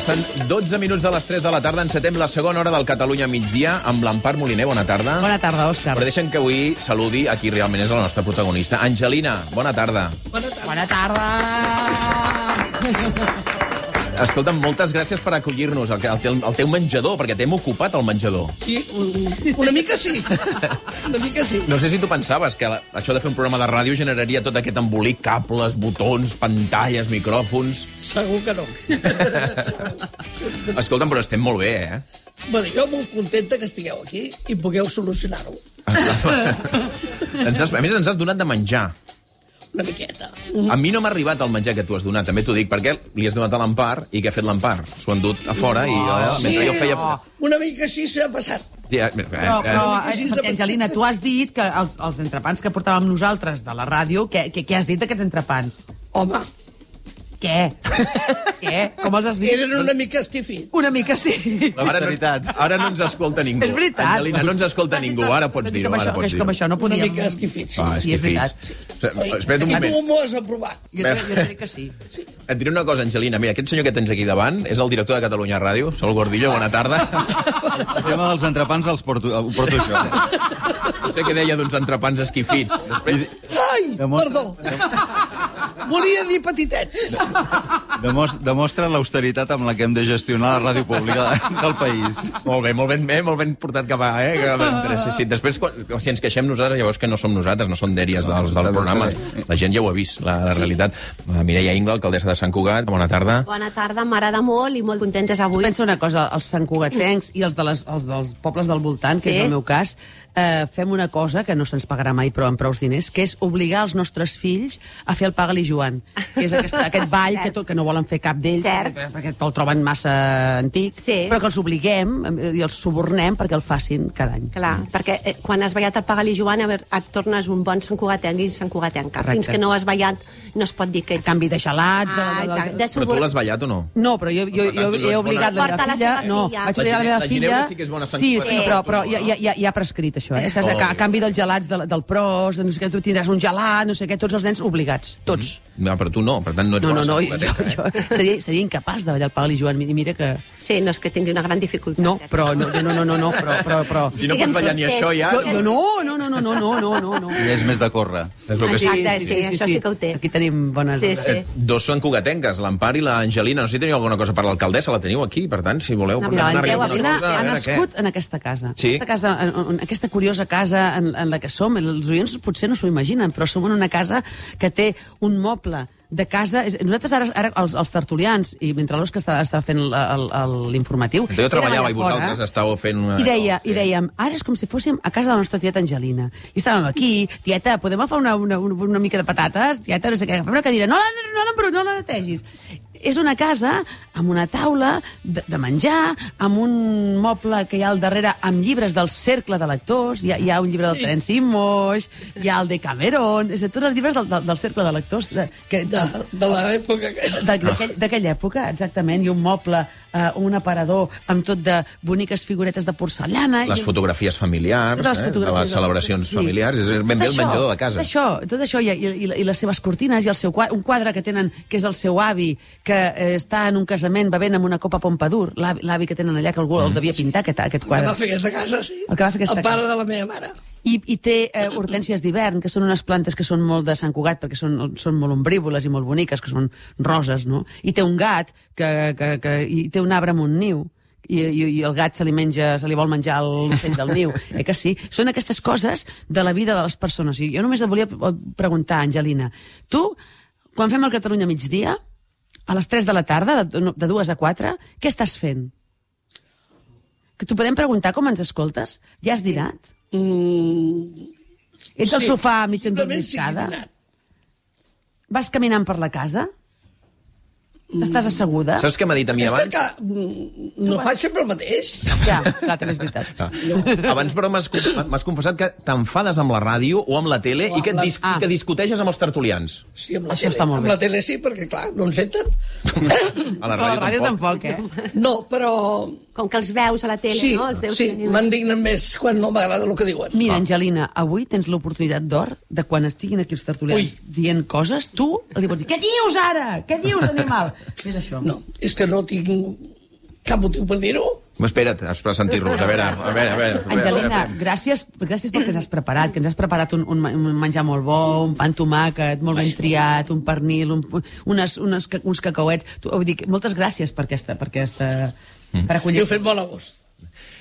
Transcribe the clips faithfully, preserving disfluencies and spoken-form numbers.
Passen dotze minuts de les tres de la tarda, encetem la segona hora del Catalunya migdia amb l'Empar Moliner. Bona tarda. Bona tarda, Òscar. Però deixen que avui saludi a qui realment és la nostra protagonista. Angelina, bona tarda. Bona tarda. Bona tarda. Escolta'm, moltes gràcies per acollir-nos al, al, teu, al teu menjador, perquè t'hem ocupat el menjador. Sí, una mica sí. Una mica sí. No sé si tu pensaves que la, això de fer un programa de ràdio generaria tot aquest embolic, cables, botons, pantalles, micròfons... Segur que no. Escolta'm, però estem molt bé, eh? Bueno, jo molt contenta que estigueu aquí i pugueu solucionar-ho. ens has, a més, ens has donat de menjar. Una miqueta. A mi no m'ha arribat el menjar que tu has donat, també t'ho dic, perquè li has donat a l'Empar, i què ha fet l'Empar? S'ho han dut a fora, i jo, Sí, mentre jo feia... una mica així s'ha passat. Ja, eh, Però, eh, però perquè, Angelina, tu has dit que els, els entrepans que portàvem nosaltres de la ràdio, què, què, què has dit d'aquests entrepans? Home, Què? Què? Com els has vist? eren una mica esquifits. Una mica sí. Ara no, ara no ens escolta ningú. És veritat. Angelina, no ens escolta ningú, ara pots dir-ho. Com, Ara això, pots que com dir-ho. això no Una podíem... mica esquifits. Ah, Sí, és veritat. Espera't un I tu moment. m'ho has aprovat. Jo, jo, jo crec que sí. Et diré una cosa, Angelina. Mira, aquest senyor que tens aquí davant és el director de Catalunya Ràdio, Sol Gordillo, bona tarda. El tema dels entrepans els porto, ho porto jo. No sé què deia d'uns entrepans esquifits. Després... Ai, perdó. Volia dir petitets. Demostra, demostra l'austeritat amb la que hem de gestionar la ràdio pública del país. Molt bé, molt ben, eh? molt ben portat cap a... Eh? Cap a sí, sí. Després, quan, si ens queixem nosaltres, llavors que no som nosaltres, no són dèries del, del programa. La gent ja ho ha vist, la, la realitat. Mireia Ingla, alcaldessa de Sant Cugat, bona tarda. Bona tarda, m'agrada molt i molt contentes avui. Pensa una cosa, els santcugatencs i els, de les, els dels pobles del voltant, que Sí. és el meu cas, eh, fem una cosa que no se'ns pagarà mai, però amb prous diners, que és obligar els nostres fills a fer el Paga-li Joan, que és aquest, aquest ball que, tot, que no volen fer cap d'ells, Cert. perquè, perquè el troben massa antic, Sí. però que els obliguem eh, i els subornem perquè el facin cada any. Clar, perquè eh, quan has ballat el Paga-li Joan, a veure, et tornes un bon santcugatenc i santcugatenca. Correcte. Fins que no has ballat, no es pot dir que A ets... canvi de gelats... De, Ah, de, de, exacte. de, De Però tu subor... l'has ballat o no? No, però jo, jo, Per tant, jo tu no he ets obligat bona- la Porta meva la filla... seva No, filla. vaig La obligar la meva Gine- la filla... Ginebra sí que és bona Sí, sí, santcugatenca. però, però ja, ja, ja, ja ha prescrit això, eh? Saps? A, a canvi dels gelats de, del pros, de no sé què, tu tindràs un gelat, no sé què, tots els nens obligats, tots. No, però tu no, per tant no ets No, no, bona no, jo, santcugatenca, eh? jo seria, seria incapaç de ballar el Paga-li Joan, i mira que... Sí, no és que tingui una gran dificultat. No, però no, no, no, no, no, però... però, però... Si no Siguem pots ballar ni sincers. això, ja... Jo, jo, no, no, no, no, no, no, no, no, no. I és més de córrer. És el que sí. Exacte, sí, això sí que ho té. Aquí tenim bones... Sí, sí. Eh, dos són cugatenques, l'Empar i l'Angelina. No sé si teniu alguna cosa per l'alcaldessa, la teniu aquí, per tant, si voleu... No, portar mira, una Déu, alguna L'Angelina cosa, a ha veure nascut què. en aquesta casa. Sí. Aquesta, casa en, en aquesta curiosa casa en, en la que som. Els oients potser no s'ho imaginen, però som en una casa que té un moble de casa... És- Nosaltres ara, ara els, els tertulians, i mentre l'Òscar estava, estava fent el- el- el- l'informatiu... Jo treballava i érem allà vosaltres fora, estàveu fent una... I, deia, Sí. I dèiem, ara és com si fóssim a casa de la nostra tieta Angelina. I estàvem aquí, tieta, podem agafar una, una, una, una mica de patates? Tieta, no sé què, agafem una cadira. No, la, no, la, no la netegis. És una casa amb una taula de, de menjar, amb un moble que hi ha al darrere amb llibres del cercle de lectors, hi ha, hi ha un llibre del Terenci Moix, hi ha el de Cameron, és a dir, tots els llibres del, del, del cercle de lectors de, que, De, de l'època que... d'aquell- d'aquella època, exactament, i un moble, eh, un aparador amb tot de boniques figuretes de porcellana. Les i- fotografies familiars, totes les eh, de fotografies les celebracions sí. familiars, és ben bé el Tot això, menjador de casa. Tot això, tot això i, i, i les seves cortines i el seu quadre, un quadre que tenen, que és el seu avi, que eh, està en un casament bevent amb una copa Pompadour, l'avi l'avi que tenen allà, que algú el devia pintar, aquest, aquest Que quadre. va fer aquesta casa, sí. El que va fer aquesta El pare casa. de la meva mare. I, i té eh, hortències d'hivern, que són unes plantes que són molt de Sant Cugat, perquè són, són molt ombrívoles i molt boniques, que són roses, no? I té un gat, que, que, que, i té un arbre amb un niu, i, i, i el gat se li menja, se li vol menjar l'ocell del niu. Eh que sí? Són aquestes coses de la vida de les persones. I jo només et volia preguntar, Angelina, tu, quan fem el Catalunya migdia, a les tres de la tarda, de, de dues a quatre, què estàs fent? Que t'ho podem preguntar com ens escoltes? Ja has dinat? Mm, Ets al sí, sofà mig simplement sí que he endormiscada? dinat. Vas caminant per la casa? Estàs asseguda? Saps què m'ha dit a mi Aquesta abans? que mm, no fa sempre el mateix. Ja, clar, també és veritat. Ah. Abans, però, m'has m'has confessat que t'enfades amb la ràdio o amb la tele O i que, et amb la- dis Ah. que discuteixes amb els tertulians. Sí, amb la Això tele. està molt amb bé. la tele sí, perquè, clar, no ens senten. A la Però a ràdio, la ràdio tampoc. tampoc, eh? No, però... Com que els veus a la tele, Sí, no? Els deus sí, tenir- m'indignen més quan no m'agrada el que diuen. Mira, Angelina, avui tens l'oportunitat d'or de quan estiguin aquí els tertulians Ui. dient coses, tu li pots dir, què dius ara? Què dius, animal? És això. No, és que no tinc cap motiu per dir-ho. Espera't, has per sentir-los. A veure, a veure, a veure. Angelina, gràcies, gràcies pel que ens has preparat, que ens has preparat un, un, un menjar molt bo, un pa amb tomàquet, molt ben triat, un pernil, un, unes, unes, uns cacauets. Tu, vull dir, moltes gràcies per aquesta... Per, aquesta, mm. per acollir. I ho fet molt a gust.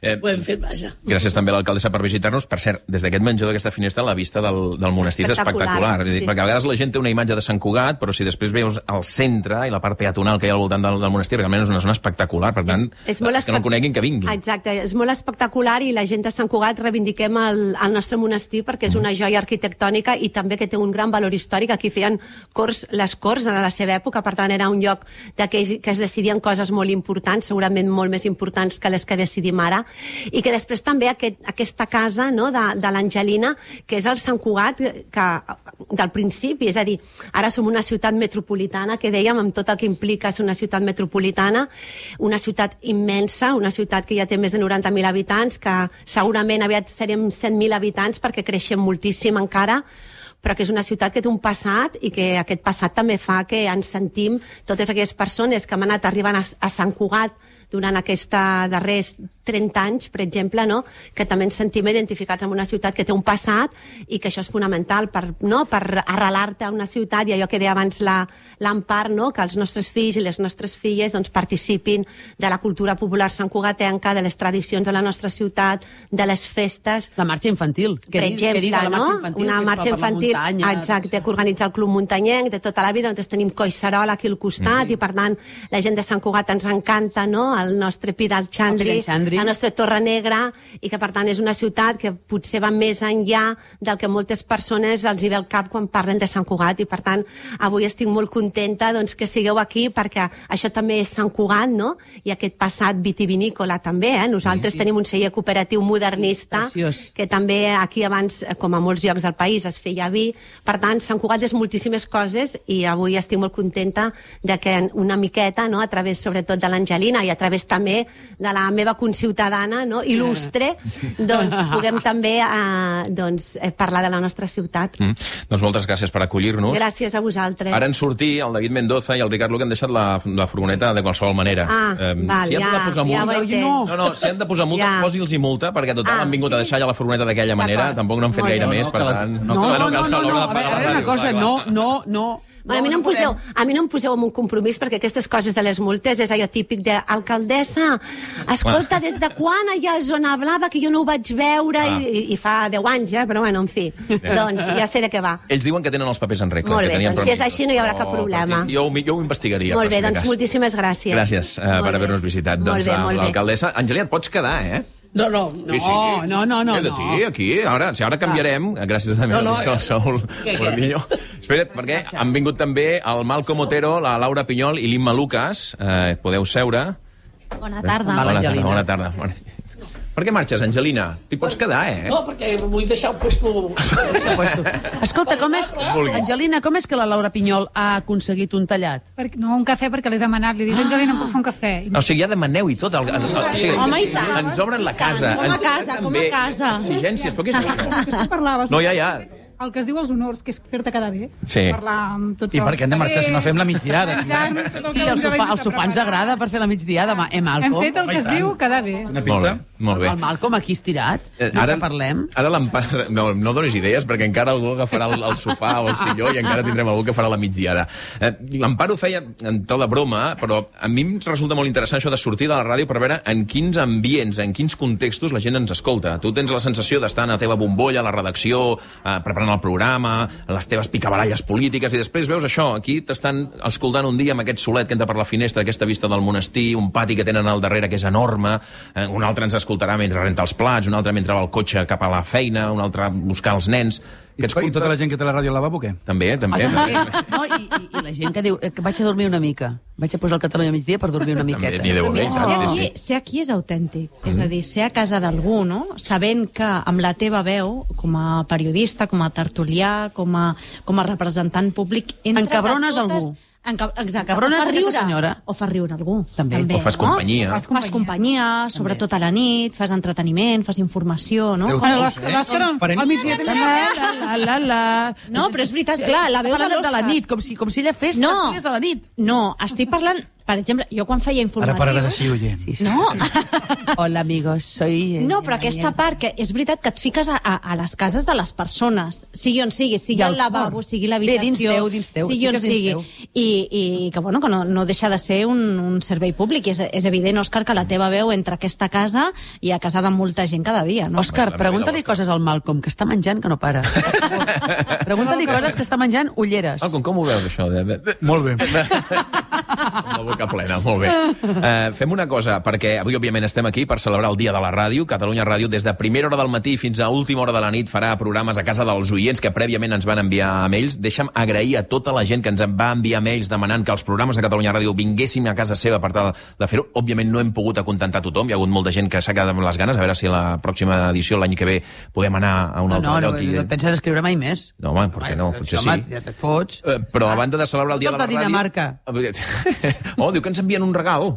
Eh, ho hem fet, vaja. Gràcies també a l'alcaldessa per visitar-nos. Per cert, des d'aquest menjador d'aquesta finestra la vista del, del monestir és espectacular. Sí, sí, perquè a vegades la gent té una imatge de Sant Cugat, però si després veus el centre i la part peatonal que hi ha al voltant del, del monestir, realment és una zona espectacular. Per tant, és, és els que no el coneguin, que vinguin. Exacte, és molt espectacular i la gent de Sant Cugat reivindiquem el, el nostre monestir perquè és una joia arquitectònica i també que té un gran valor històric. Aquí feien cors, les corts a la seva època, per tant era un lloc de que, que es decidien coses molt importants, segurament molt més importants que les que decidim ara, i que després també aquest, aquesta casa, no, de, de l'Angelina, que és el Sant Cugat que, del principi, és a dir, ara som una ciutat metropolitana, que dèiem, amb tot el que implica ser una ciutat metropolitana, una ciutat immensa, una ciutat que ja té més de noranta mil habitants, que segurament aviat serem cent mil habitants perquè creixem moltíssim encara, però que és una ciutat que té un passat i que aquest passat també fa que ens sentim totes aquelles persones que han anat arribant a, a Sant Cugat durant aquests darrers trenta anys, per exemple, no? Que també ens sentim identificats amb una ciutat que té un passat i que això és fonamental per, no? per arrelar-te a una ciutat i allò que deia abans l'Empar, no? Que els nostres fills i les nostres filles doncs, participin de la cultura popular santcugatenca, de les tradicions de la nostra ciutat, de les festes. La marxa infantil. Per exemple, la marxa no? infantil, una marxa infantil, muntanya, exacte, que organitza el Club Muntanyenc de tota la vida, on tenim Collserola aquí al costat, mm-hmm. i per tant la gent de Sant Cugat ens encanta, no? El nostre Pi del Xandri, la nostra Torre Negra, i que per tant és una ciutat que potser va més enllà del que moltes persones els hi ve al cap quan parlen de Sant Cugat, i per tant avui estic molt contenta doncs, que sigueu aquí, perquè això també és Sant Cugat, no? I aquest passat vitivinícola també, eh? Nosaltres sí, sí. tenim un celler cooperatiu modernista, sí, que també aquí abans, com a molts llocs del país, es feia vi. Per tant, Sant Cugat és moltíssimes coses, i avui estic molt contenta de que una miqueta, no? A través sobretot de l'Angelina i a través també de la meva conciutadana, no? Il·lustre, doncs puguem també eh, doncs, eh, parlar de la nostra ciutat. Mm. Doncs moltes gràcies per acollir-nos. Gràcies a vosaltres. Ara en sortir, el David Mendoza i el Ricard Luque han deixat la, la furgoneta de qualsevol manera. Ah, eh, val, si han ja, de posar multa, ja no, no, no, si han de posar multa, ja. Posi'ls i multa, perquè total ah, han vingut sí? a deixar ja la furgoneta d'aquella manera, tampoc no han fet gaire no, més, no, per les, tant... No, no, no, no, no, no, a veure, a veure una cosa, no, no, no... Bueno, a, mi no em poseu, a mi no em poseu en un compromís, perquè aquestes coses de les multes és allò típic de alcaldessa, escolta, des de quan allà a Zona Blava, que jo no ho vaig veure, ah. i, i fa deu anys, eh? Però bueno, en fi, ja. doncs ja sé de què va. Ells diuen que tenen els papers en regla. Molt bé, que doncs si és així no hi haurà cap problema. Jo, jo ho investigaria. Molt bé, doncs moltíssimes gràcies. Gràcies uh, per haver-nos visitat. Molt doncs bé, l'alcaldessa... Angelina, et pots quedar, eh? No, no, no. Sí, sí. no, no, no. Aquí, no. aquí, ara, si ara canviarem, ah. gràcies a mi, no, no, el Saúl Guardillo. Espera't, perquè han vingut també el Malcom Otero, la Laura Pinyol i l'Imma Lucas. Eh, podeu seure. Bona tarda. Bona tarda, bona tarda. Per què marxes, Angelina? T'hi pots quedar, eh? No, perquè vull deixar el puesto... Escolta, com és... Angelina, com és que la Laura Pinyol ha aconseguit un tallat? No, un cafè perquè l'he demanat. Li he dit, Angelina, em puc fer un cafè? O sigui, ja demaneu i tot. El, el, el, o sigui, home, i tant. Ens obren la casa. Com a casa, com a casa. Exigències, però què és això? Que tu parlaves. No, ja, ja. El que es diu els honors, que és fer-te quedar bé. Sí. Parlar amb tots I per què hem de marxar si no fem la migdiada? Sí, el sofà, el sofà ens agrada per fer la migdiada, eh, Malcom? Hem fet el que es diu quedar bé. Una pinta. Molt bé. El Malcom aquí estirat, eh, ara, no parlem. Ara l'Empar... No, no donis idees, perquè encara algú agafarà el, el sofà o el silló i encara tindrem algú que farà la migdiada. Eh, L'Empar ho feia en to de broma, però a mi em resulta molt interessant això de sortir de la ràdio per veure en quins ambients, en quins contextos la gent ens escolta. Tu tens la sensació d'estar en la teva bombolla, a la redacció, eh, preparant el programa, les teves picabaralles polítiques, i després veus això, aquí t'estan escoltant un dia amb aquest solet que entra per la finestra, aquesta vista del monestir, un pati que tenen al darrere que és enorme, eh, un altre ens escoltarà mentre renta els plats, un altre mentre va al cotxe cap a la feina, un altre a buscar els nens... I, I tota la gent que té la ràdio al lavabo, què? També, també. Ah, no, i, i, I la gent que diu que vaig a dormir una mica. Vaig a posar el Catalunya a migdia per dormir una miqueta. També, deu haver, ser, sí, aquí, sí. ser aquí és autèntic. Mm. És a dir, ser a casa d'algú, no? Sabent que amb la teva veu, com a periodista, com a tertulià, com a, com a representant públic... Encabrones totes... algú. Enca... Exacte. Cabrones o fa riure, aquesta senyora. O fa riure algú. També. També. O fas companyia. No? Fas companyia, fas companyia sobretot a la nit, fas entreteniment, fas informació, no? Bueno, l'Òscar al migdia també. La, la, la, la. No, però és veritat, clar, la veu de l'Òscar... de la nit, com si, com si ella fes no, de la nit. No, estic parlant... per exemple, jo quan feia Ara informatius... pararà de ser oient. Sí, sí. No, Hola, amigos, soy... no, però aquesta part, que és veritat que et fiques a, a, a les cases de les persones, sigui on sigui, sigui I al el lavabo, cor. sigui Bé, l'habitació, dins teu, dins teu, sigui on fiques dins sigui, teu. i, i que, bueno, que no, no deixa de ser un, un servei públic. És, és evident, Òscar, que la teva veu entra a aquesta casa i a casa de molta gent cada dia, no? Òscar, La pregunta-li meva coses al Malcolm, que està menjant que no para. Pregunta-li coses que està menjant ulleres. Ah, com, com ho veus, això? De- de- Molt bé. Amb la boca plena, molt bé. Uh, fem una cosa, perquè avui, òbviament, estem aquí per celebrar el Dia de la Ràdio. Catalunya Ràdio, des de primera hora del matí fins a última hora de la nit, farà programes a casa dels oients que prèviament ens van enviar mails. Deixa'm agrair a tota la gent que ens va enviar mails demanant que els programes de Catalunya Ràdio vinguéssim a casa seva per tal de fer-ho. Òbviament no hem pogut acontentar tothom, hi ha hagut molta gent que s'ha quedat amb les ganes, a veure si a la pròxima edició, l'any que ve, podem anar a un No, altre no, no, lloc. i- no et penses escriure mai més. No, home, per què no? Potser sí. Home, ja te't fots. Eh, però a banda de celebrar el Dia Tu de ets la de Ràdio... Dinamarca. Oh, diu que ens envien un regal.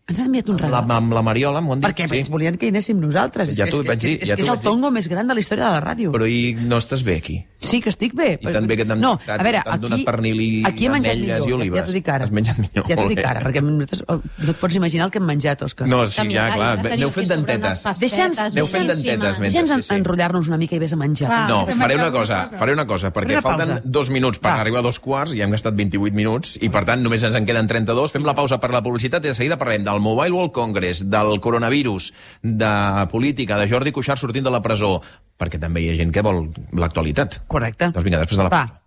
Ens ha enviat un La, regal. amb la Mariola, m'ho han dit. Perquè ens volien que hi anéssim nosaltres. Ja És- t'ho és, vaig és, dir, és, ja és, t'ho és el vaig dir. tongo més gran de la història de la ràdio. Però i no estàs bé aquí? Sí que estic bé. I tan bé que t'han no, t'han- a veure, t'han aquí, donat pernil i aquí he menjat ametlles millor. i olives. Ja t'ho dic ara. Has menjat millor, Ja t'ho molt dic bé. ara, perquè nosaltres, no et pots imaginar el que hem menjat, Òscar. No, sí, Que ja, mira, clar. ja teniu Aneu aquí fent sobre dentetes. unes Deixa'ns- pastetes Aneu fent boníssimes. dentetes, mentre- Deixa'ns sí, sí. enrotllar-nos una mica i vés a menjar. Va. No, Fem faré una alguna cosa, cosa. faré una cosa, perquè Una falten pausa. dos minuts per Va. arribar a dos quarts, i hem gastat vint-i-vuit minuts, i per tant només ens en queden trenta-dos. Fem la pausa per la publicitat i de seguida parlem del Mobile World Congress, del coronavirus, de política, de Jordi Cuixart sortint de la presó, perquè també hi ha gent que vol l'actualitat. Correcte. Doncs vinga, després de la Va. pausa.